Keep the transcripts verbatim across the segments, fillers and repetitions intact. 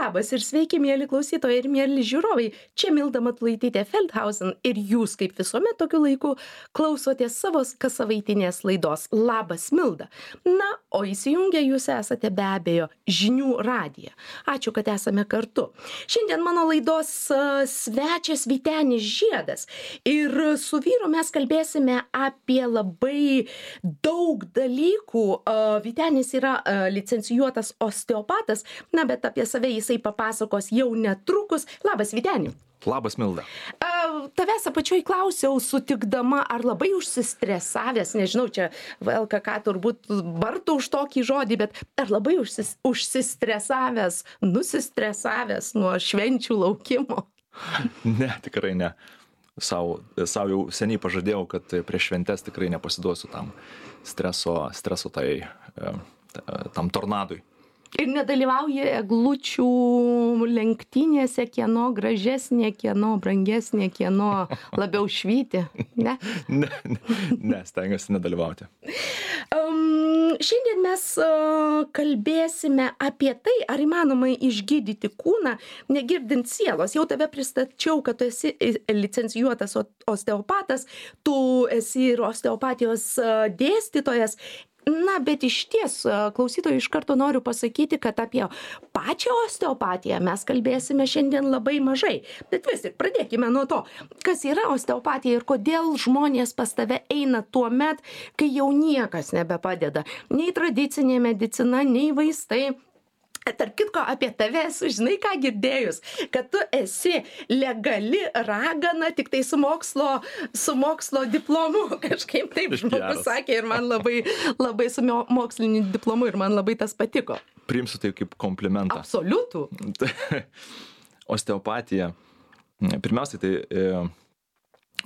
Labas ir sveiki, mėly klausytojai ir mėly žiūrovai. Čia Milda Matulaitytė Feldhausen ir jūs, kaip visuomet tokiu laiku, klausotės savo kassavaitinės laidos Labas Milda. Na, o įsijungę jūs esate be abejo žinių radiją. Ačiū, kad esame kartu. Šiandien mano laidos uh, svečias Vytenis Žiedas. Ir su vyru mes kalbėsime apie labai daug dalykų. Uh, Vytenis yra uh, licencijuotas osteopatas, na, bet apie save jisai papasakos jau netrukus. Labas, Vyteni. Labas, Milda. Uh, tavęs apačioj klausiau, sutikdama, ar labai užsistresavęs, nežinau, čia V L K K turbūt bartų už tokį žodį, bet ar labai užsis, užsistresavęs, nusistresavęs nuo švenčių laukimo? Ne, tikrai ne. Sau, sau jau seniai pažadėjau, kad prieš šventes tikrai nepasiduosiu tam streso, streso tai, tam tornadui. Ir nedalyvauja eglučių lenktynėse, kieno gražesnė, kieno brangesnė, kieno labiau švyti, ne? Ne, ne, ne stengiuosi nedalyvauti. Um, šiandien mes uh, kalbėsime apie tai, ar įmanoma išgydyti kūną, negirdint sielos. Jau tave pristačiau, kad tu esi licencijuotas osteopatas, tu esi ir osteopatijos uh, dėstytojas. Na, bet iš ties, klausytojai, iš karto noriu pasakyti, kad apie pačią osteopatiją mes kalbėsime šiandien labai mažai. Bet vis tik pradėkime nuo to, kas yra osteopatija ir kodėl žmonės pas tave eina tuo met, kai jau niekas nebepadeda. Nei tradicinė medicina, nei vaistai. Tarp kitko, apie tave esu, žinai ką girdėjus, kad tu esi legali ragana tik tai su mokslo, su mokslo diplomu. Kažkaip taip žmogus sakė ir man labai, labai su moksliniu diplomu ir man labai tas patiko. Priimsiu tai kaip komplimentą. Absoliutų. Osteopatija. Pirmiausiai tai e,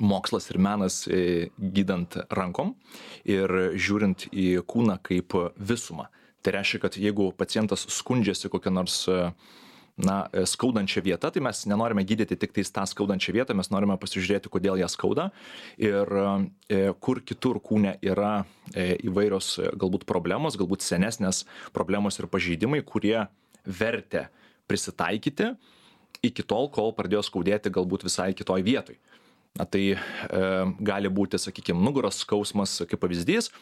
mokslas ir menas e, gydant rankom ir žiūrint į kūną kaip visumą. Tai reiškia, kad jeigu pacientas skundžiasi kokią nors na, skaudančią vietą, tai mes nenorime gydyti tik tais tą skaudančią vietą, mes norime pasižiūrėti, kodėl ją skauda ir e, kur kitur kūne yra e, įvairios galbūt problemos, galbūt senesnės problemos ir pažeidimai, kurie vertė prisitaikyti iki tol, kol pradėjo skaudėti galbūt visai kitoj vietoj. Na, tai e, gali būti, sakykime, nugaros skausmas kaip pavyzdys.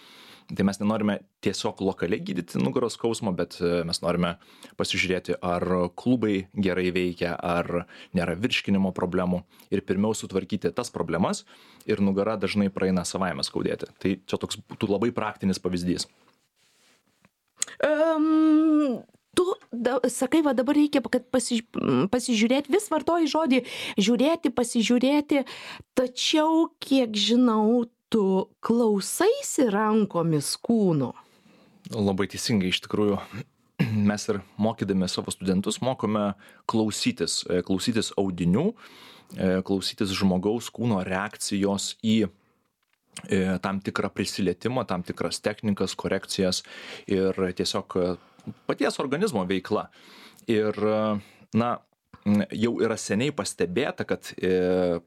Tai mes nenorime tiesiog lokaliai gydyti nugaros skausmo, bet mes norime pasižiūrėti, ar klubai gerai veikia, ar nėra virškinimo problemų ir pirmiau sutvarkyti tas problemas ir nugara dažnai praeina savaime skaudėti. Tai čia toks būtų labai praktinis pavyzdys. Um... Tu da, sakai, va dabar reikia, kad pasi, pasižiūrėti, vis vartoji žodį žiūrėti, pasižiūrėti, tačiau, kiek žinau, tu klausaisi rankomis kūno. Labai teisingai, iš tikrųjų, mes ir mokydami savo studentus mokome klausytis, klausytis audinių, klausytis žmogaus kūno reakcijos į tam tikrą prisilietimą, tam tikras technikas, korekcijas ir tiesiog paties organizmo veikla. Ir, na, jau yra seniai pastebėta, kad e,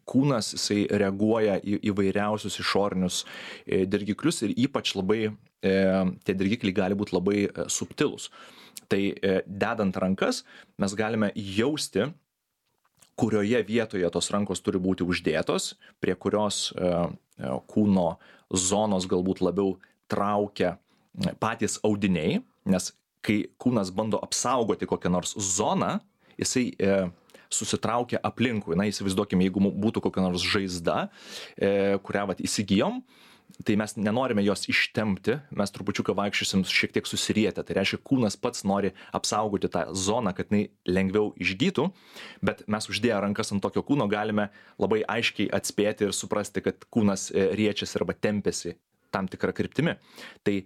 kūnas jisai reaguoja į įvairiausius išorinius e, dirgiklius ir ypač labai, e, tie dirgikliai gali būti labai e, subtilūs. Tai e, dedant rankas mes galime jausti, kurioje vietoje tos rankos turi būti uždėtos, prie kurios e, e, kūno zonos galbūt labiau traukia patys audiniai, nes kai kūnas bando apsaugoti kokią nors zoną, jisai e, susitraukia aplinkui. Na, įsivaizduokime, jeigu būtų kokia nors žaizda, e, kurią vat įsigijom, tai mes nenorime jos ištempti, mes trupučiuką vaikščiosim šiek tiek susirietę. Tai reiškia, kūnas pats nori apsaugoti tą zoną, kad jinai lengviau išgytų, bet mes uždėję rankas ant tokio kūno galime labai aiškiai atspėti ir suprasti, kad kūnas riečiasi arba tempėsi tam tikrą kryptimi. Tai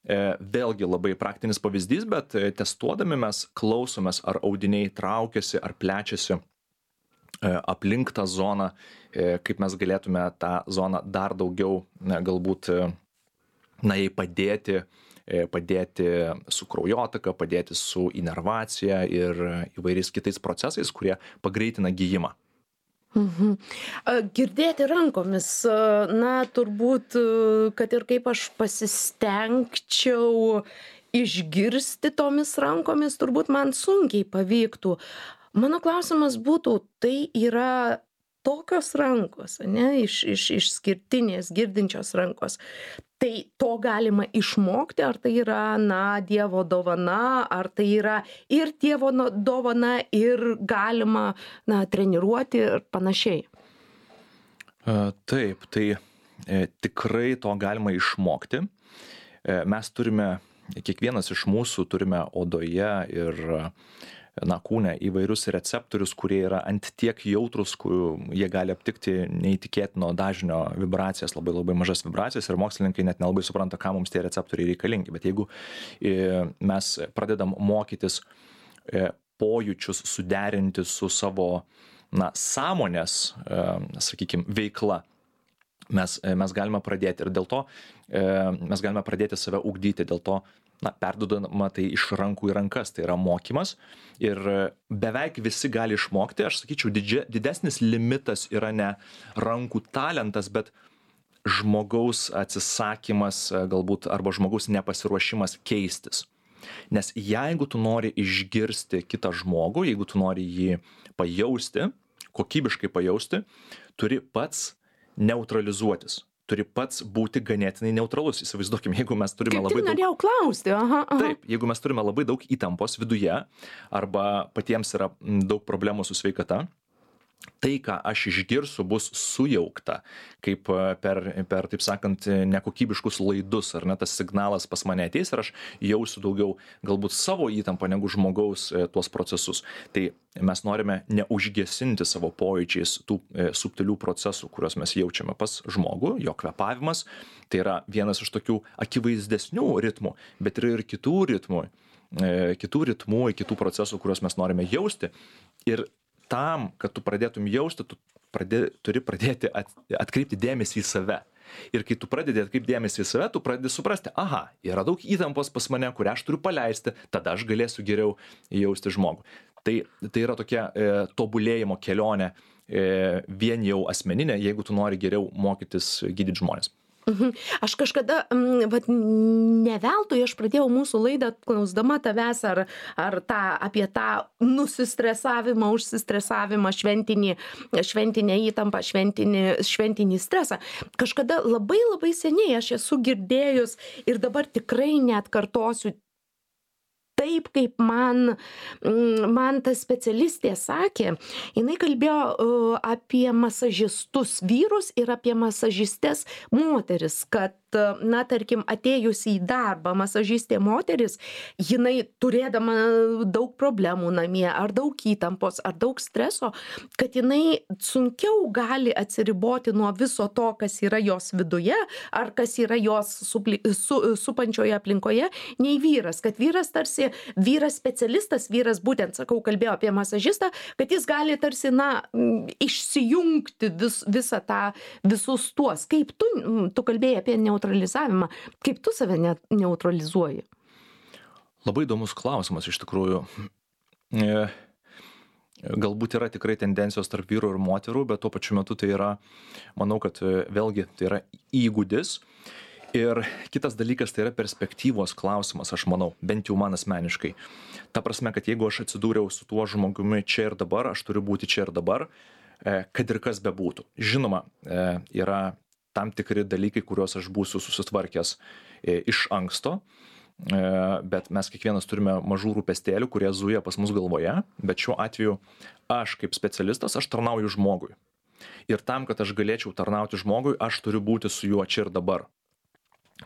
vėlgi labai praktinis pavyzdys, bet testuodami mes klausomės, ar audiniai traukiasi, ar plečiasi aplink tą zoną, kaip mes galėtume tą zoną dar daugiau galbūt, na, jai padėti, padėti su kraujotaka, padėti su inervacija ir įvairiais kitais procesais, kurie pagreitina gijimą. Mhm. Girdėti rankomis, na, turbūt, kad ir kaip aš pasistengčiau išgirsti tomis rankomis turbūt man sunkiai pavyktų. Mano klausimas būtų, tai yra tokios rankos, ane, iš, iš, išskirtinės, girdinčios rankos. Tai to galima išmokti, ar tai yra, na, Dievo dovana, ar tai yra ir Dievo dovana, ir galima, na, treniruoti ir panašiai. Taip, tai e, tikrai to galima išmokti. E, mes turime, kiekvienas iš mūsų turime odoje ir na, kūne įvairius receptorius, kurie yra ant tiek jautrus, kur jie gali aptikti neįtikėtino dažnio vibracijas, labai labai mažas vibracijas ir mokslininkai net nelabai supranta, ką mums tie receptoriai reikalingi. Bet jeigu mes pradedam mokytis pojūčius suderinti su savo, na, sąmonės, sakykime, veikla, mes, mes galime pradėti ir dėl to mes galime pradėti save ugdyti, dėl to, na, perdodama tai iš rankų į rankas, tai yra mokymas ir beveik visi gali išmokti, aš sakyčiau, didžia, didesnis limitas yra ne rankų talentas, bet žmogaus atsisakymas galbūt arba žmogaus nepasiruošimas keistis. Nes jeigu tu nori išgirsti kitą žmogų, jeigu tu nori jį pajausti, kokybiškai pajausti, turi pats neutralizuotis. Turi pats būti ganėtinai neutralus. Įsivaizduokime, jeigu mes turime labai daug... Kaip tik norėjau klausti, aha, aha. Taip, jeigu mes turime labai daug įtampos viduje, arba patiems yra daug problemų su sveikata, tai, ką aš išgirsiu, bus sujaukta, kaip per, per, taip sakant, nekokybiškus laidus, ar ne, tas signalas pas mane ateis ir aš jausiu daugiau galbūt savo įtampą negu žmogaus tuos procesus. Tai mes norime neužgesinti savo pojūčiais tų subtilių procesų, kuriuos mes jaučiame pas žmogų, jo kvėpavimas, tai yra vienas iš tokių akivaizdesnių ritmų, bet yra ir kitų ritmų, kitų ritmų, kitų procesų, kuriuos mes norime jausti. Ir tam, kad tu pradėtum jausti, tu pradė, turi pradėti at, atkreipti dėmesį į save. Ir kai tu pradedi atkreipti dėmesį į save, tu pradedi suprasti, aha, yra daug įtampos pas mane, kurią aš turiu paleisti, tada aš galėsiu geriau jausti žmogų. Tai, tai yra tokia e, tobulėjimo kelionė, e, vien jau asmeninė, jeigu tu nori geriau mokytis gydyti žmonės. Aš kažkada, vat, ne veltui aš pradėjau mūsų laidą klausdama tavęs ar, ar tą, apie tą nusistresavimą, užsistresavimą, šventinį, šventinę įtampą, šventinį, šventinį stresą. Kažkada labai labai seniai aš esu girdėjus ir dabar tikrai neatkartosiu taip, kaip man, man ta specialistė sakė, jinai kalbėjo uh, apie masažistus vyrus ir apie masažistes moteris, kad, na, tarkim, atėjus į darbą masažistė moteris, jinai turėdama daug problemų namie, ar daug įtampos, ar daug streso, kad jinai sunkiau gali atsiriboti nuo viso to, kas yra jos viduje, ar kas yra jos supli, su, supančioje aplinkoje, nei vyras, kad vyras tarsi vyras specialistas, vyras būtent, sakau, kalbėjo apie masažistą, kad jis gali tarsi, na, išsijungti vis, visą tą, visus tuos. Kaip tu, tu kalbėjai apie neutralizavimą, kaip tu save ne, neutralizuoji? Labai įdomus klausimas iš tikrųjų. E, galbūt yra tikrai tendencijos tarp vyrų ir moterų, bet tuo pačiu metu tai yra, manau, kad vėlgi tai yra įgūdis. Ir kitas dalykas tai yra perspektyvos klausimas, aš manau, bent jau man asmeniškai. Ta prasme, kad jeigu aš atsidūriau su tuo žmogumi čia ir dabar, aš turiu būti čia ir dabar, kad ir kas bebūtų. Žinoma, yra tam tikri dalykai, kuriuos aš būsiu susitvarkęs iš anksto, bet mes kiekvienas turime mažų rūpestėlių, kurie zuja pas mus galvoje, bet šiuo atveju aš kaip specialistas, aš tarnauju žmogui. Ir tam, kad aš galėčiau tarnauti žmogui, aš turiu būti su juo čia ir dabar.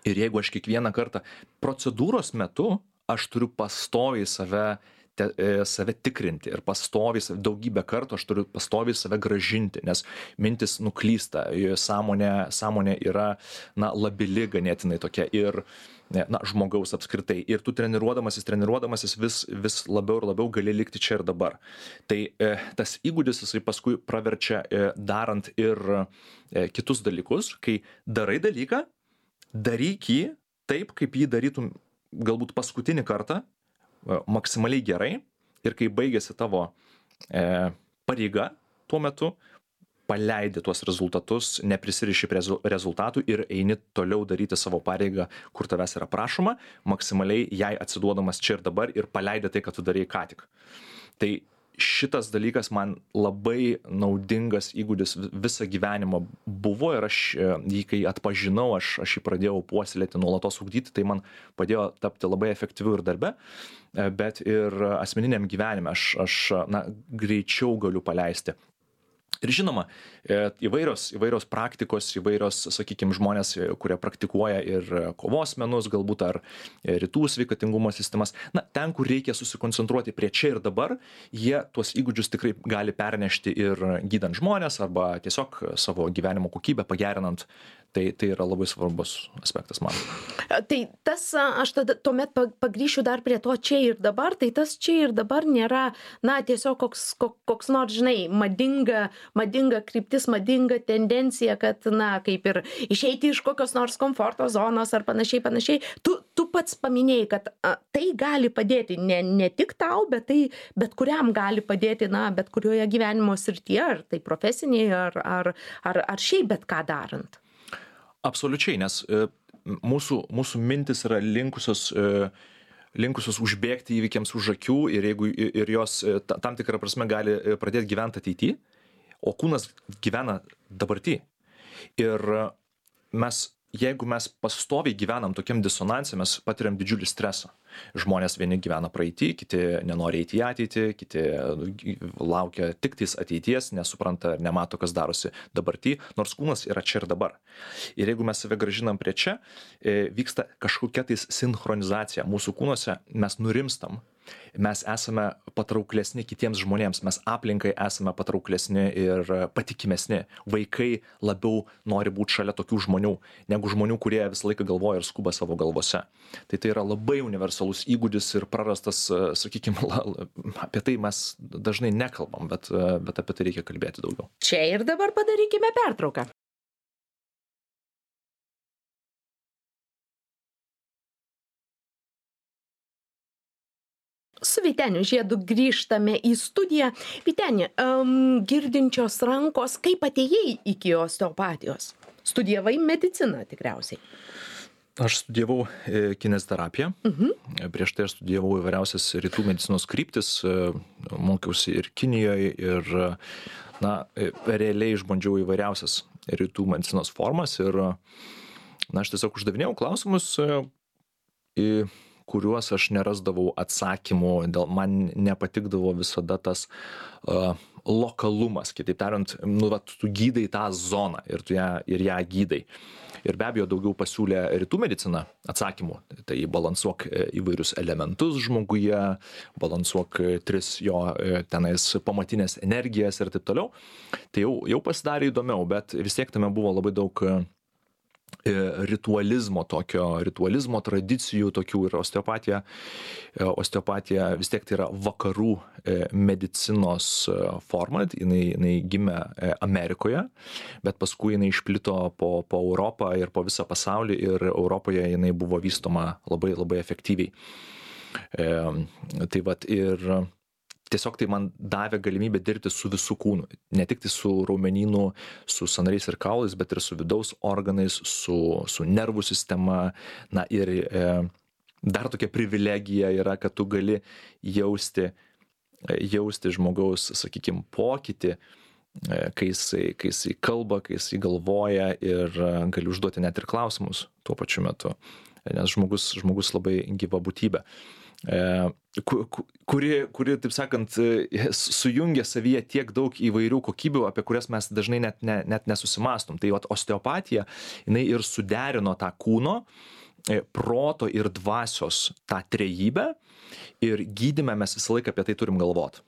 Ir jeigu aš kiekvieną kartą procedūros metu, aš turiu pastoviai save, te, save tikrinti ir pastoviai daugybę kartų aš turiu pastoviai save grąžinti, nes mintis nuklysta, sąmonė, sąmonė yra, na, labili ganėtinai tokia ir, na, žmogaus apskritai. Ir tu treniruodamasis, treniruodamasis vis, vis labiau ir labiau gali likti čia ir dabar. Tai e, tas įgūdis jisai paskui praverčia e, darant ir e, kitus dalykus, kai darai dalyką, daryk jį taip, kaip jį darytum galbūt paskutinį kartą, maksimaliai gerai, ir kai baigėsi tavo e, pareiga tuo metu, paleidi tuos rezultatus, neprisiriši prie rezultatų ir eini toliau daryti savo pareigą, kur tavęs yra prašoma, maksimaliai jai atsiduodamas čia ir dabar ir paleidi tai, ką tu darei ką tik. Tai šitas dalykas man labai naudingas įgūdis visą gyvenimą buvo ir aš jį, kai atpažinau, aš, aš jį pradėjau puoselėti, nuolatos ugdyti, tai man padėjo tapti labai efektyviu ir darbe, bet ir asmeniniam gyvenime aš, aš na, greičiau galiu paleisti. Ir žinoma, įvairios, įvairios praktikos, įvairios, sakykime, žmonės, kurie praktikuoja ir kovos menus, galbūt ar rytų sveikatingumo sistemas, na, ten, kur reikia susikoncentruoti prie čia ir dabar, jie tuos įgūdžius tikrai gali pernešti ir gydant žmonės arba tiesiog savo gyvenimo kokybę pagerinant. Tai, tai yra labai svarbus aspektas man. Tai tas, aš tada tuomet pagrįšiu dar prie to čia ir dabar, tai tas čia ir dabar nėra, na, tiesiog koks, koks nors, žinai, madinga, madinga kryptis, madinga tendencija, kad, na, kaip ir išeiti iš kokios nors komforto zonos ar panašiai, panašiai. Tu, tu pats paminėjai, kad a, tai gali padėti ne, ne tik tau, bet tai bet kuriam gali padėti, na, bet kurioje gyvenimo srityje, ar tai profesinėje, ar, ar, ar, ar šiaip bet ką darant. Absoliučiai, nes e, mūsų, mūsų mintis yra linkusios, e, linkusios užbėgti įvykiams už akių ir, jeigu, ir jos e, tam tikrą prasme gali pradėti gyventi ateityje, o kūnas gyvena dabartyje. Ir mes, jeigu mes pastoviai gyvenam tokiam disonanse, mes patiriam didžiulį stresą. Žmonės vieni gyvena praeitį, kiti nenori eiti į ateitį, kiti laukia tik tais ateities, nesupranta ir nemato, kas darosi dabartį, nors kūnas yra čia ir dabar. Ir jeigu mes save grąžinam prie čia, vyksta kažkokia tais sinchronizacija. Mūsų kūnuose mes nurimstam, mes esame patrauklesni kitiems žmonėms, mes aplinkai esame patrauklesni ir patikimesni. Vaikai labiau nori būti šalia tokių žmonių, negu žmonių, kurie visą laiką galvoja ir skuba savo galvose. Tai tai yra labai universalus įgūdis ir prarastas, sakykime, apie tai mes dažnai nekalbam, bet, bet apie tai reikia kalbėti daugiau. Čia ir dabar padarykime pertrauką. Su Vyteniu Žiedu grįžtame į studiją. Vyteni, um, girdinčios rankos, kaip atėjai iki osteopatijos? Studijavai mediciną tikriausiai. Aš studijavau kineziterapiją. Uh-huh. Prieš tai aš studijavau įvairiausias rytų medicinos kryptis, mokiausi ir Kinijoje ir, na, realiai išbandžiau įvairiausias rytų medicinos formas ir, na, aš tiesiog uždavinėjau klausimus, į kuriuos aš nerasdavau atsakymų, dėl man nepatikdavo visada tas uh, lokalumas, kitaip tariant, nu, va, tu gydai tą zoną ir tu ją, ir ją gydai. Ir be abejo daugiau pasiūlė rytų medicina atsakymų, tai balansuok įvairius elementus žmoguje, balansuok tris jo tenais pamatinės energijas ir taip toliau. Tai jau, jau pasidarė įdomiau, bet vis tiek tame buvo labai daug ritualizmo tokio, ritualizmo tradicijų tokių ir osteopatija. Osteopatija vis tiek tai yra vakarų medicinos forma, jinai, jinai gimė Amerikoje, bet paskui jinai išplito po, po Europą ir po visą pasaulį ir Europoje jinai buvo vystoma labai, labai efektyviai. E, tai vat ir tiesiog tai man davė galimybę dirbti su visų kūnu, ne tik tai su raumenynu, su sąnariais ir kaulais, bet ir su vidaus organais, su, su nervų sistema. Na ir e, dar tokia privilegija yra, kad tu gali jausti, jausti žmogaus, sakykime, pokytį, e, kai jisai, kai jisai kalba, kai jisai galvoja ir e, gali užduoti net ir klausimus tuo pačiu metu, nes žmogus, žmogus labai gyva būtybė. Kuri, kuri, taip sakant, sujungia savyje tiek daug įvairių kokybių, apie kurias mes dažnai net, ne, net nesusimastom. Tai osteopatija, jinai ir suderino tą kūno, proto ir dvasios tą trejybę ir gydyme mes visą laiką apie tai turim galvot.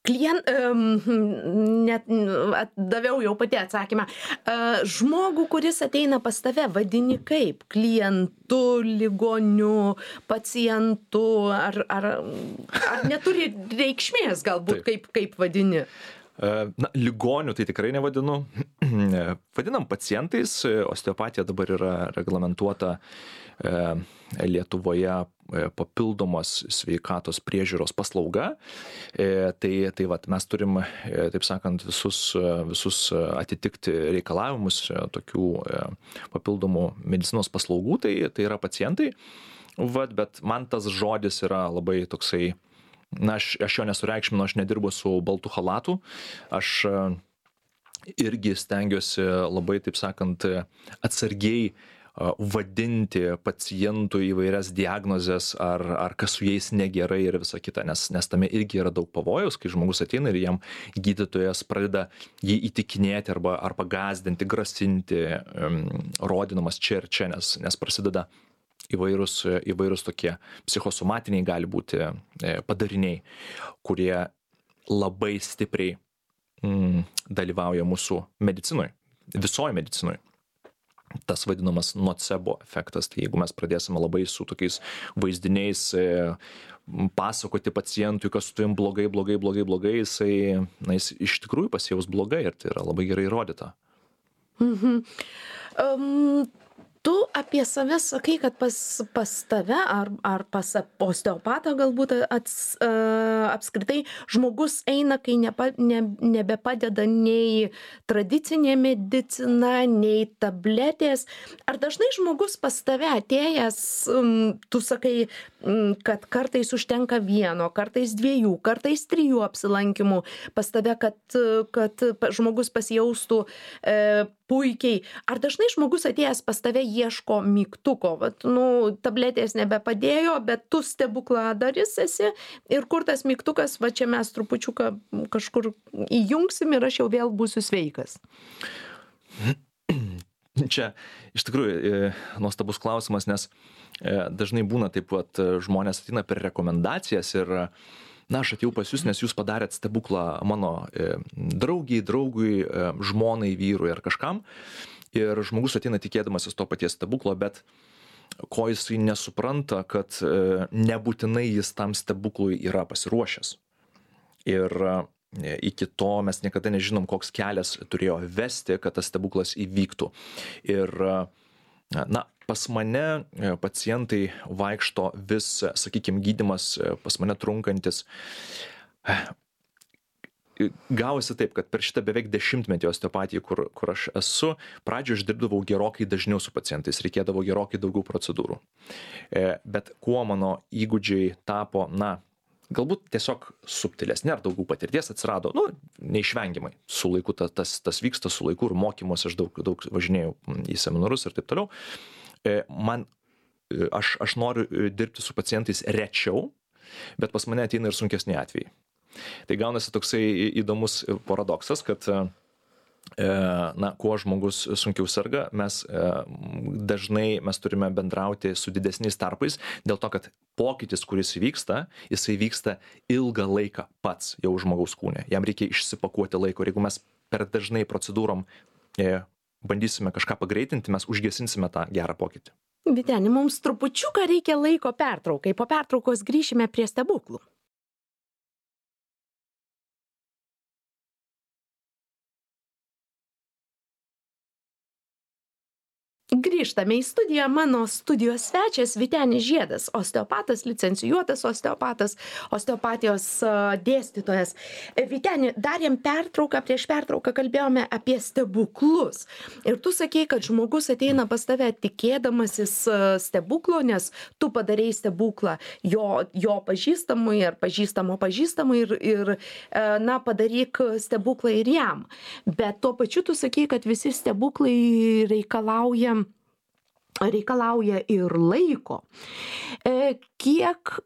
Klient, um, net daviau jau pati atsakymą. Uh, žmogų, kuris ateina pas tave, vadini kaip? Klientu, ligoniu, pacientu, ar, ar, ar neturi reikšmės galbūt, kaip, kaip vadini? Na, ligonių tai tikrai nevadinu, vadinam pacientais. Osteopatija dabar yra reglamentuota Lietuvoje papildomos sveikatos priežiūros paslauga. Tai, tai vat, mes turim, taip sakant, visus, visus atitikti reikalavimus tokių papildomų medicinos paslaugų, tai, tai yra pacientai. Vat, bet man tas žodis yra labai toksai, na, aš, aš jo nesureikšminu, aš nedirbu su baltu chalatu, aš irgi stengiuosi labai, taip sakant, atsargiai vadinti pacientų įvairias diagnozes, ar, ar kas su jais negerai ir visa kita, nes, nes tame irgi yra daug pavojaus, kai žmogus ateina ir jam gydytojas pradeda jį įtikinėti arba, arba gąsdinti, grasinti, um, rodinamas čia ir čia, nes, nes prasideda įvairūs, įvairūs tokie psichosomatiniai gali būti padariniai, kurie labai stipriai mm, dalyvauja mūsų medicinoje, visoje medicinoje. Tas vadinamas nocebo efektas, tai jeigu mes pradėsime labai su tokiais vaizdiniais e, pasakoti pacientui, kas su tavim blogai, blogai, blogai, blogai, jisai, na, jis iš tikrųjų pasijaus blogai ir tai yra labai gerai įrodyta. Mhm. Um, tu apie save sakai, kad pas, pas tave ar, ar pas osteopatą galbūt ats, uh, apskritai žmogus eina, kai nepa, ne, nebepadeda nei tradicinė medicina, nei tabletės. Ar dažnai žmogus pas tave atėjęs, um, tu sakai, um, kad kartais užtenka vieno, kartais dviejų, kartais trijų apsilankimų pas tave, kad, kad žmogus pasijaustų uh, puikiai. Ar dažnai žmogus atėjęs pas tave ieško mygtuko, vat, nu, tabletės nebepadėjo, bet tu stebukladaris esi ir kur tas mygtukas, va čia mes trupučiuką kažkur įjungsim ir aš jau vėl būsiu sveikas? Čia iš tikrųjų nuostabus klausimas, nes dažnai būna taip, kad žmonės ateina per rekomendacijas ir na, aš atėjau pas jūs, nes jūs padarėt stebuklą mano e, draugiai, draugui, e, žmonai, vyrui ar kažkam. Ir žmogus ateina tikėdamasis to paties stebuklo, bet ko jisai nesupranta, kad e, nebūtinai jis tam stebuklui yra pasiruošęs. Ir e, iki to mes niekada nežinom, koks kelias turėjo vesti, kad tas stebuklas įvyktų. Ir e, na, pas mane pacientai vaikšto vis, sakykime, gydymas pas mane trunkantis. Gavosi taip, kad per šitą beveik dešimtmetį osteopatiją, kur, kur aš esu, pradžioje aš dirbdavau gerokai dažniau su pacientais, reikėdavo gerokai daugiau procedūrų. Bet kuo mano įgūdžiai tapo, na, galbūt tiesiog subtilesnė ar daugiau patirties atsirado, nu, neišvengiamai. Su laiku tas, tas, tas vyksta, su laiku ir mokymuose aš daug, daug važinėjau į seminarus ir taip toliau. Man, aš, aš noriu dirbti su pacientais rečiau, bet pas mane ateina ir sunkesni atvejai. Tai gaunasi toksai įdomus paradoksas, kad na, kuo žmogus sunkiau serga, mes dažnai mes turime bendrauti su didesniais tarpais, dėl to, kad pokytis, kuris vyksta, jisai vyksta ilgą laiką pats jau žmogaus kūne. Jam reikia išsipakuoti laiko ir jeigu mes per dažnai procedūrom bandysime kažką pagreitinti, mes užgesinsime tą gerą pokytį. Vyteni, mums trupučiuką reikia laiko pertraukai. Po pertraukos grįšime prie stebuklų. Grįžtame į studiją. Mano studijos svečias Vytenis Žiedas, osteopatas, licencijuotas osteopatas, osteopatijos dėstytojas. Vyteni, darėm pertrauką, prieš pertrauką kalbėjome apie stebuklus. Ir tu sakei, kad žmogus ateina pas tave tikėdamasis stebuklo, nes tu padarei stebuklą jo, jo pažįstamui ar pažįstamo pažįstamui ir, ir na, padaryk stebuklą ir jam. Bet tuo pačiu tu sakei, kad visi stebuklai reikalauja reikalauja ir laiko. E, kiek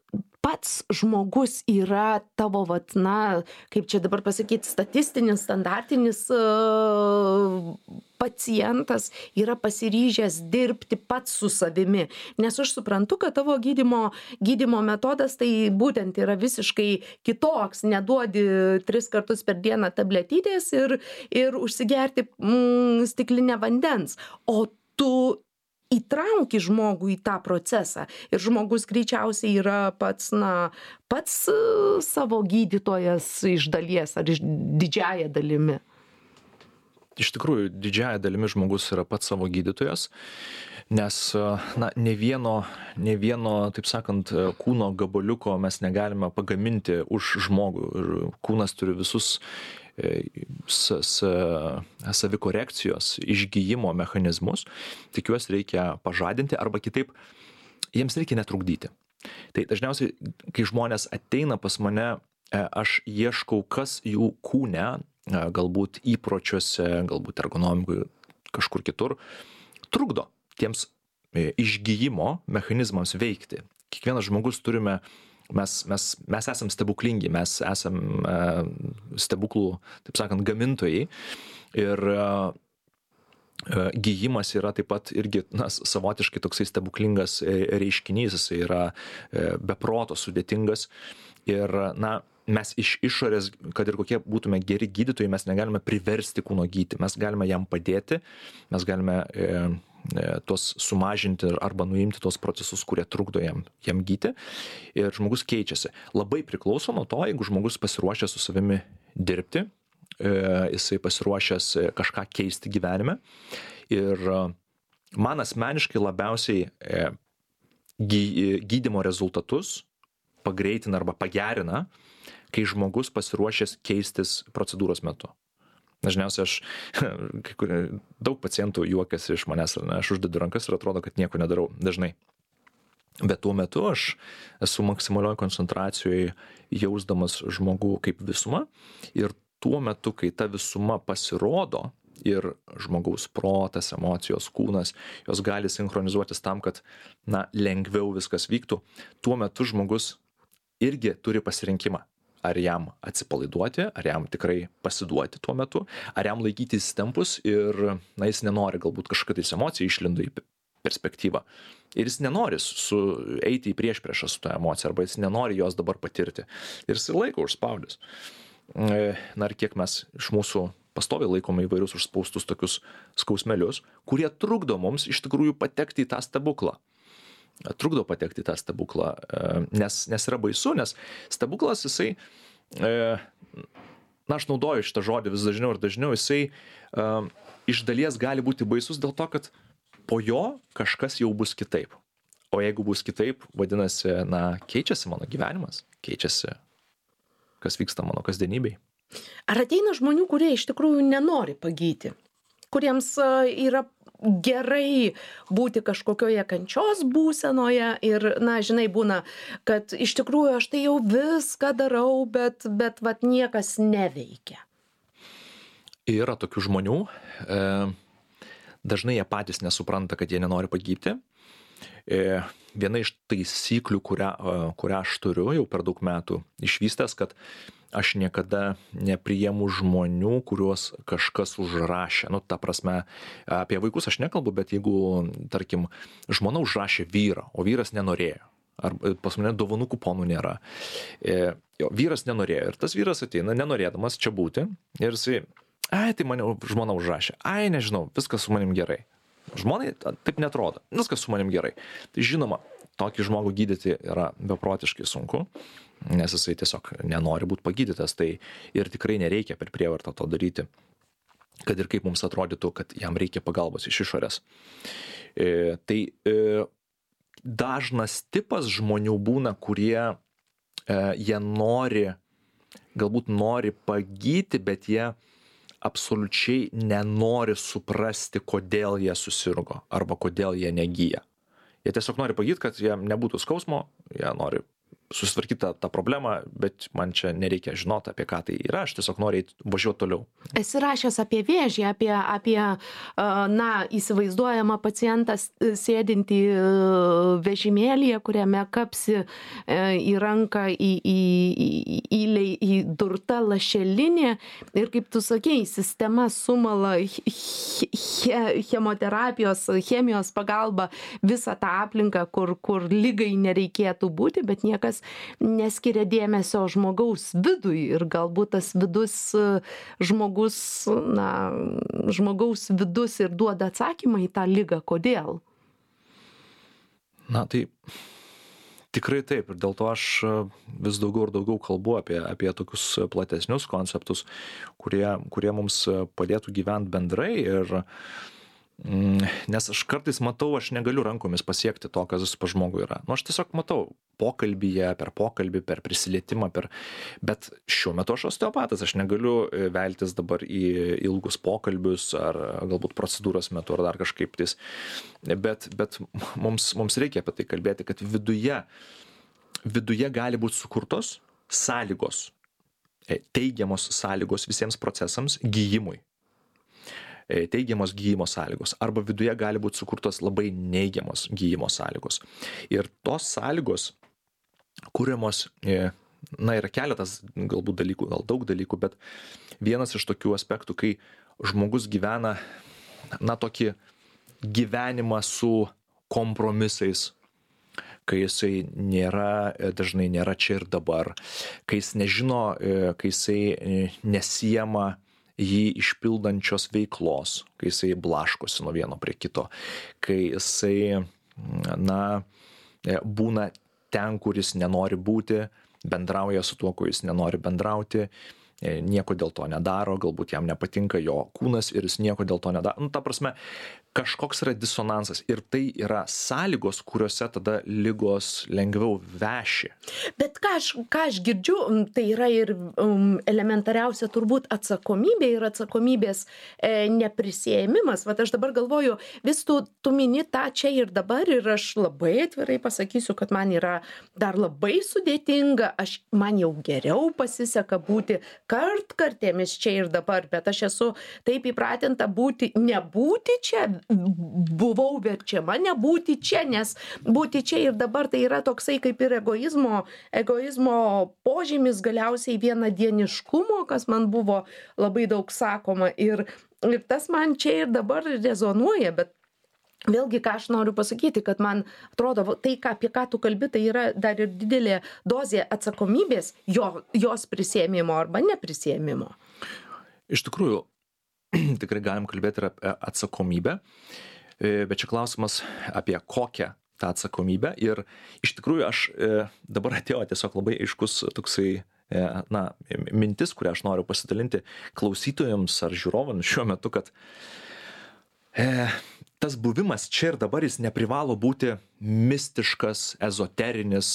pats žmogus yra tavo, vat, na, kaip čia dabar pasakyti, statistinis, standartinis uh, pacientas yra pasiryžęs dirbti pats su savimi. Nes aš suprantu, kad tavo gydymo, gydymo metodas tai būtent yra visiškai kitoks. Neduodi tris kartus per dieną tabletytės ir, ir užsigerti mm, stiklinę vandens. O tu įtrauki žmogų į tą procesą ir žmogus greičiausiai yra pats, na, pats savo gydytojas iš dalies ar iš didžiąja dalimi. iš tikrųjų didžiąja dalimi žmogus yra pats savo gydytojas, nes na, ne vieno, ne vieno, taip sakant, kūno gabaliuko mes negalime pagaminti už žmogų. Ir kūnas turi visus savikorekcijos, išgyjimo mechanizmus, tik juos reikia pažadinti arba kitaip, jiems reikia netrukdyti. Tai dažniausiai, kai žmonės ateina pas mane, aš ieškau, kas jų kūne, galbūt įpročiuose, galbūt ergonomikoje, kažkur kitur, trukdo tiems išgyjimo mechanizmams veikti. Kiekvienas žmogus turime, mes, mes, mes esam stebuklingi, mes esam stebuklų, taip sakant, gamintojai. Ir gyjimas yra taip pat irgi na, savotiškai toksai stebuklingas reiškinys, jis yra beproto sudėtingas. Ir na, mes iš išorės, kad ir kokie būtume geri gydytojai, mes negalime priversti kūno gydyti, mes galime jam padėti, mes galime e, e, tuos sumažinti arba nuimti tuos procesus, kurie trukdo jam, jam gydyti. Ir žmogus keičiasi. Labai priklauso nuo to, jeigu žmogus pasiruošęs su savimi dirbti, e, jisai pasiruošęs kažką keisti gyvenime. Ir man asmeniškai labiausiai e, gy, gydymo rezultatus pagreitina arba pagerina, kai žmogus pasiruošęs keistis procedūros metu. Dažniausiai aš, kai kur, daug pacientų juokiasi iš manęs, ar ne, aš uždedu rankas ir atrodo, kad nieko nedarau dažnai. Bet tuo metu aš esu maksimalioj koncentracijoje jausdamas žmogų kaip visumą ir tuo metu, kai ta visuma pasirodo ir žmogaus protas, emocijos, kūnas, jos gali sinchronizuotis tam, kad na, lengviau viskas vyktų, tuo metu žmogus irgi turi pasirinkimą. Ar jam atsipalaiduoti, ar jam tikrai pasiduoti tuo metu, ar jam laikytis tempus ir na, jis nenori galbūt kažkokia tais emocija išlindo į perspektyvą. Ir jis nenori su, eiti į priešpriešą su tą emociją, arba jis nenori jos dabar patirti. Ir jis laiko užspaudęs. Na ir kiek mes iš mūsų pastoviai laikome įvairius užspaustus tokius skausmelius, kurie trukdo mums iš tikrųjų patekti į tą stebuklą. Trukdo patekti į tą stebuklą, nes, nes yra baisu, nes stebuklas jisai, na aš naudoju šitą žodį vis dažniau ir dažniau, jisai iš dalies gali būti baisus dėl to, kad po jo kažkas jau bus kitaip. O jeigu bus kitaip, vadinasi, na keičiasi mano gyvenimas, keičiasi, kas vyksta mano kasdienybėj. Ar ateina žmonių, kurie iš tikrųjų nenori pagyti, kuriems yra gerai būti kažkokioje kančios būsenoje ir, na, žinai, būna, kad iš tikrųjų aš tai jau viską darau, bet, bet vat niekas neveikia. Yra tokių žmonių, e, dažnai jie patys nesupranta, kad jie nenori pagyti. E, viena iš taisyklių, kurią, kurią aš turiu jau per daug metų išvystęs, kad aš niekada nepriimu žmonių, kuriuos kažkas užrašė. Nu, ta prasme, apie vaikus aš nekalbu, bet jeigu, tarkim, žmona užrašė vyrą, o vyras nenorėjo, ar pas mane dovanų kuponų nėra, e, jo, vyras nenorėjo ir tas vyras ateina, nenorėdamas čia būti, ir jisai, ai, tai mane žmona užrašė, ai, nežinau, viskas su manim gerai. Žmonai taip netrodo, viskas su manim gerai. Tai žinoma, tokį žmogų gydyti yra beprotiškai sunku, nes jisai tiesiog nenori būti pagydytas, tai ir tikrai nereikia per prievartą to daryti, kad ir kaip mums atrodytų, kad jam reikia pagalbos iš išorės. E, tai e, dažnas tipas žmonių būna, kurie e, jie nori, galbūt nori pagyti, bet jie absoliučiai nenori suprasti, kodėl jie susirgo arba kodėl jie negyja. Jie tiesiog nori pagyti, kad jiem nebūtų skausmo, jie nori susitvarkyti tą, tą problemą, bet man čia nereikia žinoti, apie ką tai yra, aš tiesiog noriu važiuoti toliau. Esi rašęs apie vėžį, apie, apie na, įsivaizduojamą pacientą sėdintį vežimėlyje, kuriame kapsi į ranką į, į, į, į, į durtą lašelinė ir, kaip tu sakei, sistema sumala he, chemoterapijos, chemijos pagalba visą tą aplinką, kur, kur lygai nereikėtų būti, bet niekas neskiria dėmesio žmogaus vidui ir galbūt tas vidus žmogus, na, žmogaus vidus ir duoda atsakymą į tą ligą, kodėl. Na tai Tikrai taip ir dėl to aš vis daugiau ir daugiau kalbu apie apie tokius platesnius konceptus, kurie kurie mums padėtų gyvent bendrai ir mm, nes aš kartais matau, aš negaliu rankomis pasiekti to, kas pas žmogų yra. Nu, aš tiesiog matau pokalbyje, per pokalbį, per prisilietimą, per... bet šiuo metu aš osteopatas, aš negaliu veltis dabar į ilgus pokalbius ar galbūt procedūros metu ar dar kažkaip tais, bet, bet mums, mums reikia apie tai kalbėti, kad viduje, viduje gali būti sukurtos sąlygos, teigiamos sąlygos visiems procesams gijimui. Teigiamos gyjimo sąlygos arba viduje gali būti sukurtos labai neigiamos gyjimo sąlygos. Ir tos sąlygos kuriamos, na, yra keletas galbūt dalykų, gal daug dalykų, bet vienas iš tokių aspektų, kai žmogus gyvena, na, tokį gyvenimą su kompromisais, kai jisai nėra, dažnai nėra čia ir dabar, kai jis nežino, kai jisai nesiema jį išpildančios veiklos, kai jisai blaškosi nuo vieno prie kito, kai jisai, na, būna ten, kur jis nenori būti, bendrauja su tuo, kuo jis nenori bendrauti, nieko dėl to nedaro, galbūt jam nepatinka jo kūnas ir jis nieko dėl to nedaro. Nu, ta prasme, kažkoks yra disonansas ir tai yra sąlygos, kuriuose tada ligos lengviau veši. Bet ką aš, ką aš girdžiu, tai yra ir um, elementariausia turbūt atsakomybė ir atsakomybės e, neprisėmimas. Vat aš dabar galvoju, vis tu, tu mini tą čia ir dabar ir aš labai atvirai pasakysiu, kad man yra dar labai sudėtinga, aš, man jau geriau pasiseka būti kartkartėmis čia ir dabar, bet aš esu taip įpratinta būti, nebūti čia, buvau verčiama nebūti čia, nes būti čia ir dabar tai yra toksai kaip ir egoizmo, egoizmo požymis, galiausiai vienadieniškumo, kas man buvo labai daug sakoma ir, ir tas man čia ir dabar rezonuoja, bet vėlgi, ką aš noriu pasakyti, kad man atrodo, tai, ką, apie ką tu kalbi, tai yra dar ir didelė dozė atsakomybės, jo, jos prisėmimo arba neprisėmimo. Iš tikrųjų, tikrai galim kalbėti ir apie atsakomybę, bet čia klausimas apie kokią tą atsakomybę. Ir iš tikrųjų aš dabar atėjo tiesiog labai aiškus toksai, na, mintis, kurią aš noriu pasidalinti klausytojams ar žiūrovams šiuo metu, kad e, tas buvimas čia ir dabar jis neprivalo būti mistiškas, ezoterinis,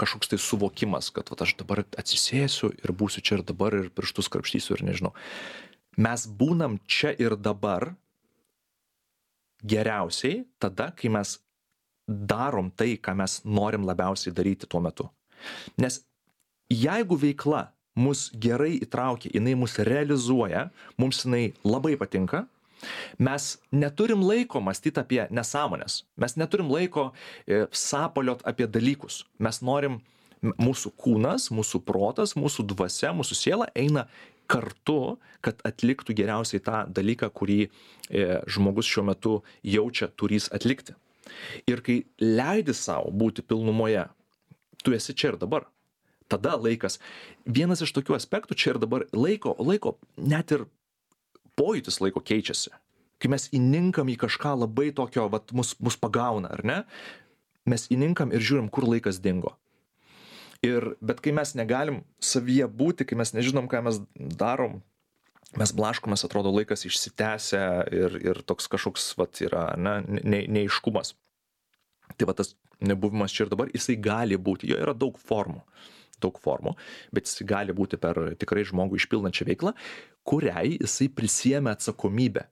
kažkoks tai suvokimas, kad vat, aš dabar atsisėsiu ir būsiu čia ir dabar ir pirštus krapštysiu ir nežinau. Mes būnam čia ir dabar geriausiai tada, kai mes darom tai, ką mes norim labiausiai daryti tuo metu. Nes jeigu veikla mus gerai įtraukia, jinai mus realizuoja, mums jinai labai patinka, mes neturim laiko mąstyti apie nesąmonės, mes neturim laiko e, sapaliot apie dalykus, mes norim, mūsų kūnas, mūsų protas, mūsų dvasia, mūsų siela eina kartu, kad atliktų geriausiai tą dalyką, kurį e, žmogus šiuo metu jaučia turys atlikti. Ir kai leidi savo būti pilnumoje, tu esi čia ir dabar. Tada laikas, vienas iš tokių aspektų čia ir dabar, laiko, laiko net ir pojūtis laiko keičiasi. Kai mes įninkam į kažką labai tokio, vat, mus, mus pagauna, ar ne? Mes įninkam ir žiūrim, kur laikas dingo. Ir, bet kai mes negalim savyje būti, kai mes nežinom, ką mes darom, mes blaškomės, atrodo, laikas išsitęsia ir, ir toks kažkoks, vat, yra, ne, ne, neaiškumas. Tai va tas nebuvimas čia ir dabar, jisai gali būti, jo yra daug formų, daug formų, bet jisai gali būti per tikrai žmogų išpildančią veiklą, kuriai jisai prisiėmė atsakomybę.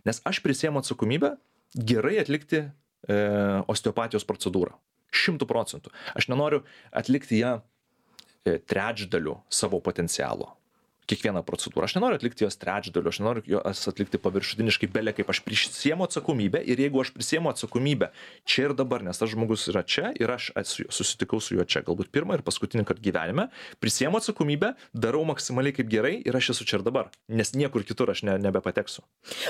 Nes aš prisiėmu atsakomybę gerai atlikti e, osteopatijos procedūrą. Šimtų procentų. Aš nenoriu atlikti ją trečdaliu savo potencialo. Kiekvieną procedūrą. Aš nenoriu atlikti jos trečdaliu, aš nenoriu jos atlikti paviršutiniškai, belė kaip aš prisiėmu atsakomybę ir jeigu aš prisiėmu atsakomybę čia ir dabar, nes tas žmogus yra čia ir aš susitikau su juo čia, galbūt pirmą ir paskutinį kartą gyvenime, prisiėmu atsakomybę, darau maksimaliai kaip gerai ir aš esu čia ir dabar, nes niekur kitur aš ne, nebepateksiu.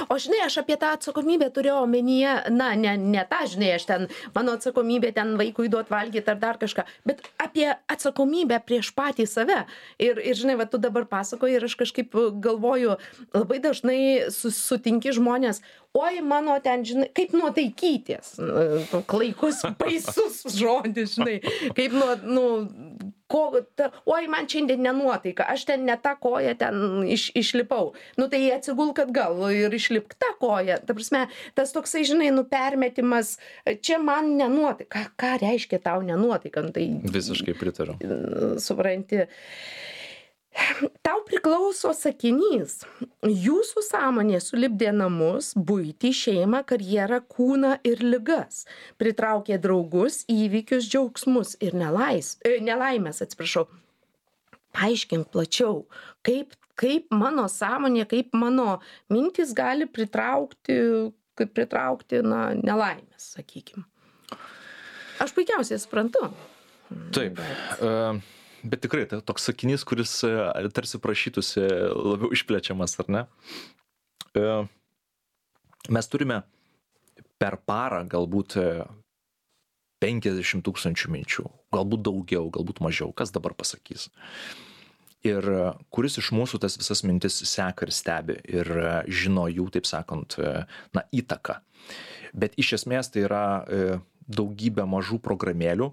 O žinai, aš apie tą atsakomybę turėjau omenyje, na, ne, ne tą, žinai, aš ten, mano atsakomybė ten vaikui duot valgyti ar dar kažką, bet apie atsakomybę prieš patį save. Ir, ir žinai, va, tu dabar pasakoji principai ir aš kažkaip galvoju, labai dažnai sutinki žmonės, oi mano ten, žinai, kaip nuo taikyties, klaikus, baisus žodis, žinai, kaip nuo, nu, ko, ta, oi man šiandien nenuotaika, aš ten ne tą koją ten iš, išlipau, nu tai atsigulk atgal ir išlipk tą koją, ta prasme, tas toksai, žinai, nu permetimas, čia man nenuotaika, ką, ką reiškia tau nenuotaika, nu, tai visiškai pritariu. Supranti. Tau priklauso sakinys. Jūsų sąmonė sulipdė namus, buitį, šeimą, karjerą, kūną ir ligas. Pritraukė draugus, įvykius, džiaugsmus ir nelais, e, nelaimės, atsiprašau. Paaiškink plačiau, kaip, kaip mano sąmonė, kaip mano mintis gali pritraukti, kaip pritraukti na, nelaimės, sakykime. Aš puikiausiai suprantu. Taip. Bet... Uh... Bet tikrai, tai toks sakinys, kuris tarsi prašytųsi labiau išplečiamas, ar ne? Mes turime per parą galbūt penkiasdešimt tūkstančių minčių, galbūt daugiau, galbūt mažiau, kas dabar pasakys. Ir kuris iš mūsų tas visas mintis seka ir stebi ir žino jų, taip sakant, na, įtaką. Bet iš esmės tai yra daugybė mažų programėlių,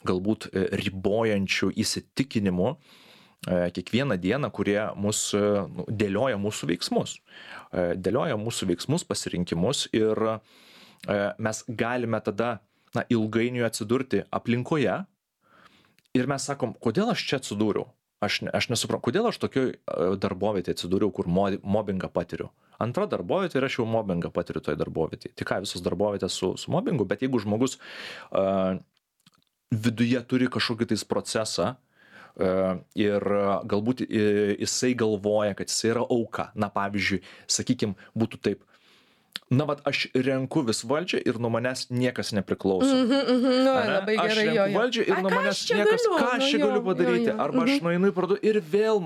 galbūt ribojančių įsitikinimų kiekvieną dieną, kurie mus, nu, dėlioja mūsų veiksmus. Dėlioja mūsų veiksmus, pasirinkimus ir mes galime tada na, ilgainiui atsidurti aplinkoje ir mes sakom, kodėl aš čia atsidūriau? Aš, aš nesuprantu, kodėl aš tokioj darbovietėje atsidūriau, kur mobbingą patiriu. Antra darbovietė ir aš jau mobbingą patiriu toj darbovietėje. Tai ką, visos darbovietės su, su mobbingu, bet jeigu žmogus uh, viduje turi kažkokį tais procesą uh, ir galbūt jisai galvoja, kad jisai yra auka. Na, pavyzdžiui, sakykim, būtų taip, na, vat aš renku vis valdžią ir nuo manęs niekas nepriklauso. Mhm, mhm, nu, labai gerai, aš renku jo, jo. valdžią ir A, nuo ką manęs aš čia niekas, galiu? ką aš Nu, čia jo, galiu padaryti, jo, jo. arba aš Mhm. nueinu į parduotuvę ir vėl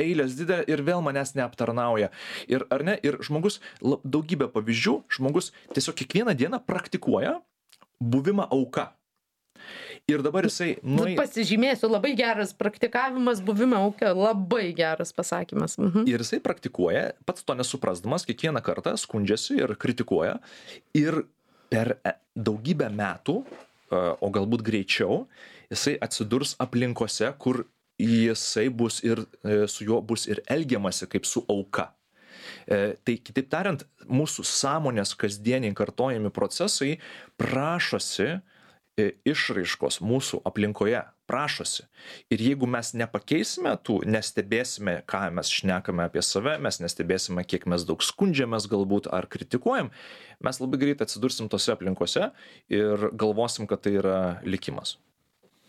eilės didelė ir vėl manęs neaptarnauja. Ir, ar ne, ir žmogus, daugybė pavyzdžių, žmogus tiesiog kiekvieną dieną praktikuoja buvimą auka. Ir dabar jisai... Nu, Nuai... pasižymėsiu, labai geras praktikavimas buvimo auka, labai geras pasakymas. Mhm. Ir jisai praktikuoja, pats to nesuprasdamas, kiekvieną kartą skundžiasi ir kritikuoja. Ir per daugybę metų, o galbūt greičiau, jisai atsidurs aplinkose, kur jisai bus ir su juo bus ir elgiamasi kaip su auka. Tai kitaip tariant, mūsų sąmonės kasdieniai kartojami procesai prašosi išraiškos mūsų aplinkoje, prašosi. Ir jeigu mes nepakeisime tų, nestebėsime, ką mes šnekame apie save, mes nestebėsime, kiek mes daug skundžiamės galbūt ar kritikuojam, mes labai greit atsidursim tose aplinkose ir galvosim, kad tai yra likimas.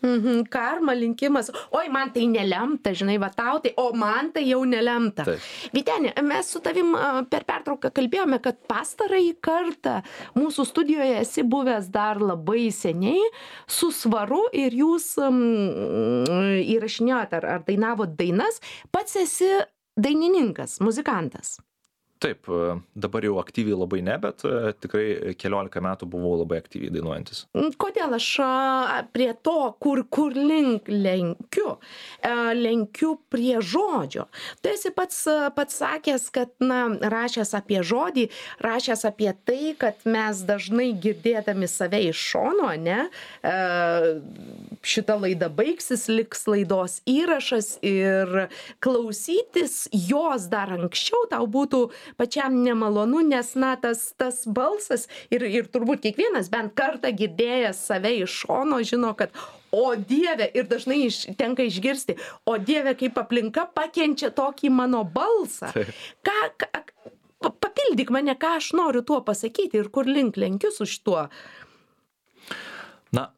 Mhm, karma, linkimas. Oi, man tai nelemta, žinai, va tau tai, o man tai jau nelemta. Taip. Vyteni, mes su tavim per pertrauką kalbėjome, kad pastarąjį kartą mūsų studijoje esi buvęs dar labai seniai su Svaru ir jūs um, įrašinėjot ar, ar dainavot dainas, pats esi dainininkas, muzikantas. Taip, dabar jau aktyviai labai ne, bet tikrai keliolika metų buvau labai aktyviai dainuojantis. Kodėl aš prie to, kur, kur link lenkiu, lenkiu prie žodžio. Tu esi pats, pats sakęs, kad, na, rašęs apie žodį, rašęs apie tai, kad mes dažnai girdėdami save iš šono, ne, šita laida baigsis, liks laidos įrašas ir klausytis jos dar anksčiau tau būtų pačiam nemalonu, nes, na, tas, tas balsas ir, ir turbūt kiekvienas bent kartą girdėjęs save iš šono žino, kad o Dieve, ir dažnai iš, tenka išgirsti, o Dieve, kaip aplinka pakenčia tokį mano balsą. Ką, ką, papildyk mane, ką aš noriu tuo pasakyti ir kur link lenkiu su šituo. Na,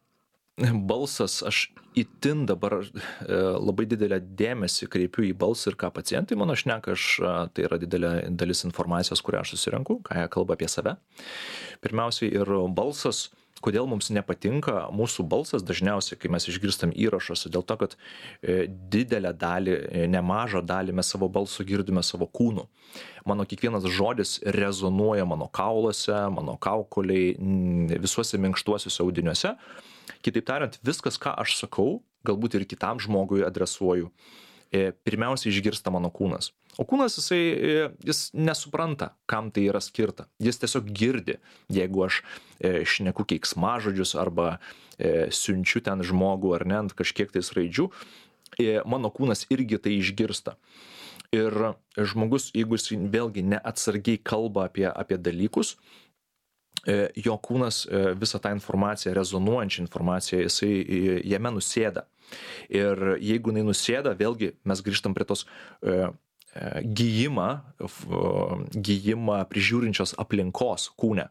balsas, aš itin dabar e, labai didelę dėmesį kreipiu į balsą ir ką pacientai mano šneka, aš, tai yra didelė dalis informacijos, kurią aš susirenku, ką jie kalba apie save. Pirmiausiai ir balsas, kodėl mums nepatinka mūsų balsas, dažniausiai, kai mes išgirstam įrašuose, dėl to, kad e, didelę dalį, e, nemažą dalį mes savo balsu girdime savo kūnu. Mano kiekvienas žodis rezonuoja mano kauluose, mano kaukoliai, visuose minkštuosiuose audiniuose. Kitaip tariant, viskas, ką aš sakau, galbūt ir kitam žmogui adresuoju, pirmiausia išgirsta mano kūnas. O kūnas jisai, jis nesupranta, kam tai yra skirta. Jis tiesiog girdi, jeigu aš šneku keiksmažodžius arba siunčiu ten žmogų ar ne ant kažkiek tais raidžių, mano kūnas irgi tai išgirsta. Ir žmogus, jeigu jis vėlgi neatsargiai kalba apie, apie dalykus, jo kūnas visą tą informaciją, rezonuojančią informaciją, jisai jame nusėda. Ir jeigu jinai nusėda, vėlgi mes grįžtam prie tos gijimą, gijimą prižiūrinčios aplinkos kūne.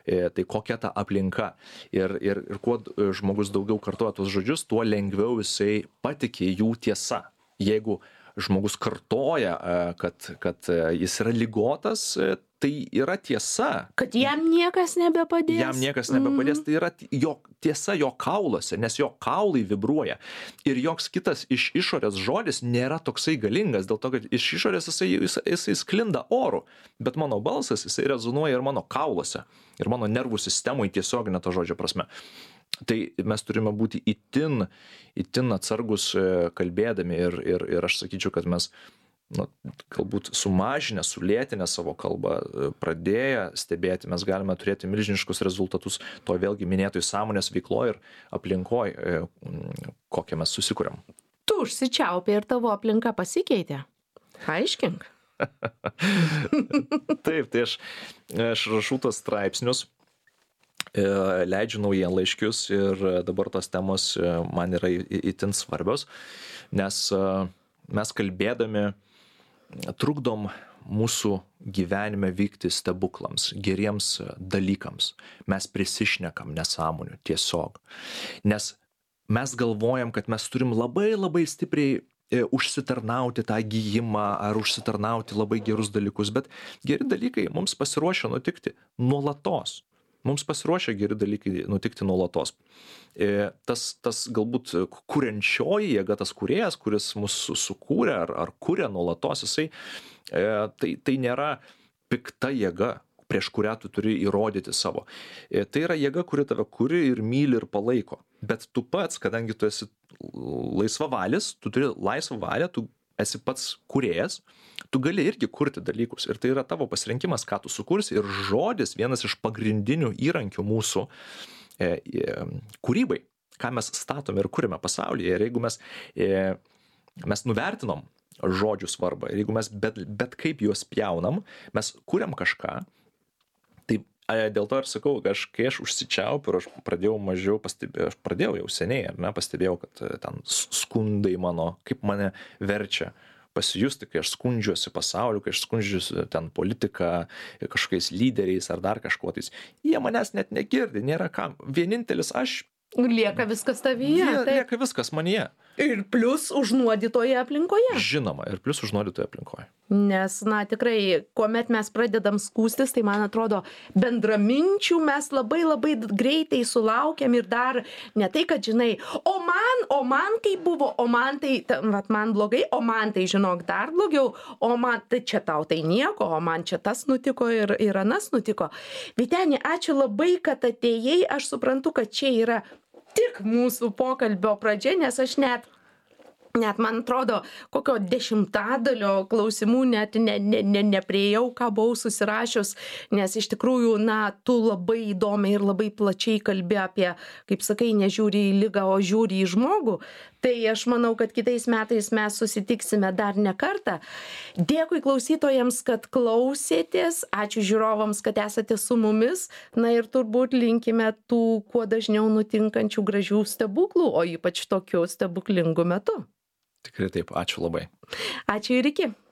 Tai kokia ta aplinka. Ir, ir, ir kuo žmogus daugiau kartoja tuos žodžius, tuo lengviau jisai patikė jų tiesa. Jeigu žmogus kartoja, kad, kad jis yra ligotas, tai yra tiesa. Kad jam niekas nebepadės. Jam niekas nebepadės, tai yra jo, tiesa jo kauluose, nes jo kaulai vibruoja. Ir joks kitas iš išorės žodis nėra toksai galingas, dėl to, kad iš išorės jisai, jisai, jisai sklinda oru, bet mano balsas jisai rezonuoja ir mano kauluose, ir mano nervų sistemoje tiesioginė to žodžio prasme. Tai mes turime būti itin, itin atsargus kalbėdami ir, ir, ir aš sakyčiau, kad mes nu, galbūt sumažinę, sulėtinę savo kalbą, pradėję stebėti, mes galime turėti milžiniškus rezultatus to vėlgi minėtoj sąmonės veikloje ir aplinkoje, kokią mes susikuriam. Tu užsičiaupė ir tavo aplinka pasikeitė. Aiškink. Taip, tai aš, aš rašau tos straipsnius, leidžiu naujienlaiškius ir dabar tos temos man yra itin svarbios, nes mes kalbėdami trukdom mūsų gyvenime vykti stebuklams, geriems dalykams. Mes prisišnekam nesąmonių tiesiog. Nes mes galvojam, kad mes turim labai labai stipriai užsitarnauti tą gijimą ar užsitarnauti labai gerus dalykus, bet geri dalykai mums pasiruošia nutikti nuolatos. Mums pasiruošia geri dalykai nutikti nuolatos. Tas, tas galbūt kuriančioji jėga, tas kūrėjas, kuris mus sukūrė ar, ar kūrė nuolatos, jisai, tai, tai nėra pikta jėga, prieš kurią tu turi įrodyti savo. Tai yra jėga, kuri tave kuri ir myli ir palaiko. Bet tu pats, kadangi tu esi laisvavalis, tu turi laisvą valią, tu esi pats kūrėjas, tu gali irgi kurti dalykus. Ir tai yra tavo pasirinkimas, ką tu sukursi. Ir žodis vienas iš pagrindinių įrankių mūsų e, e, kūrybai, ką mes statome ir kūrime pasaulyje. Ir jeigu mes, e, mes nuvertinom žodžių svarbą, ir jeigu mes bet, bet kaip juos pjaunam, mes kūriam kažką, tai dėl to ir sakau, aš, kai aš užsičiaupiu ir aš pradėjau mažiau pastebėjau, aš pradėjau jau seniai, ar ne, pastebėjau, kad ten skundai mano, kaip mane verčia pasijusti, kai aš skundžiuosi pasauliu, kai aš skundžiuosi ten politiką, kažkokiais lyderiais ar dar kažkuo tais. Jie manęs net negirdi, nėra kam. Vienintelis aš. Lieka viskas tavyje. Jie, lieka viskas manyje. Ir plus užnuodytoje aplinkoje. Žinoma, ir plus užnuodytoje aplinkoje. Nes, na, tikrai, kuomet mes pradedam skūstis, tai man atrodo, bendraminčių mes labai labai greitai sulaukiam ir dar ne tai, kad žinai, o man, o man kaip buvo, o man tai, vat man blogai, o man tai, žinok, dar blogiau, o man tai čia tau tai nieko, o man čia tas nutiko ir, ir anas nutiko. Vyteni, ačiū labai, kad atėjai, aš suprantu, kad čia yra tik mūsų pokalbio pradžia, nes aš net Net, man atrodo, kokio dešimtadalio klausimų net ne, ne, ne, nepriejau, ką buvau susirašius, nes iš tikrųjų, na, tu labai įdomiai ir labai plačiai kalbi apie, kaip sakai, nežiūri į ligą, o žiūri į žmogų. Tai aš manau, kad kitais metais mes susitiksime dar ne kartą. Dėkui klausytojams, kad klausėtės, ačiū žiūrovams, kad esate su mumis, na ir turbūt linkime tų kuo dažniau nutinkančių gražių stebuklų, o ypač tokiu stebuklingu metu. Tikrai taip, ačiū labai. Ačiū ir iki.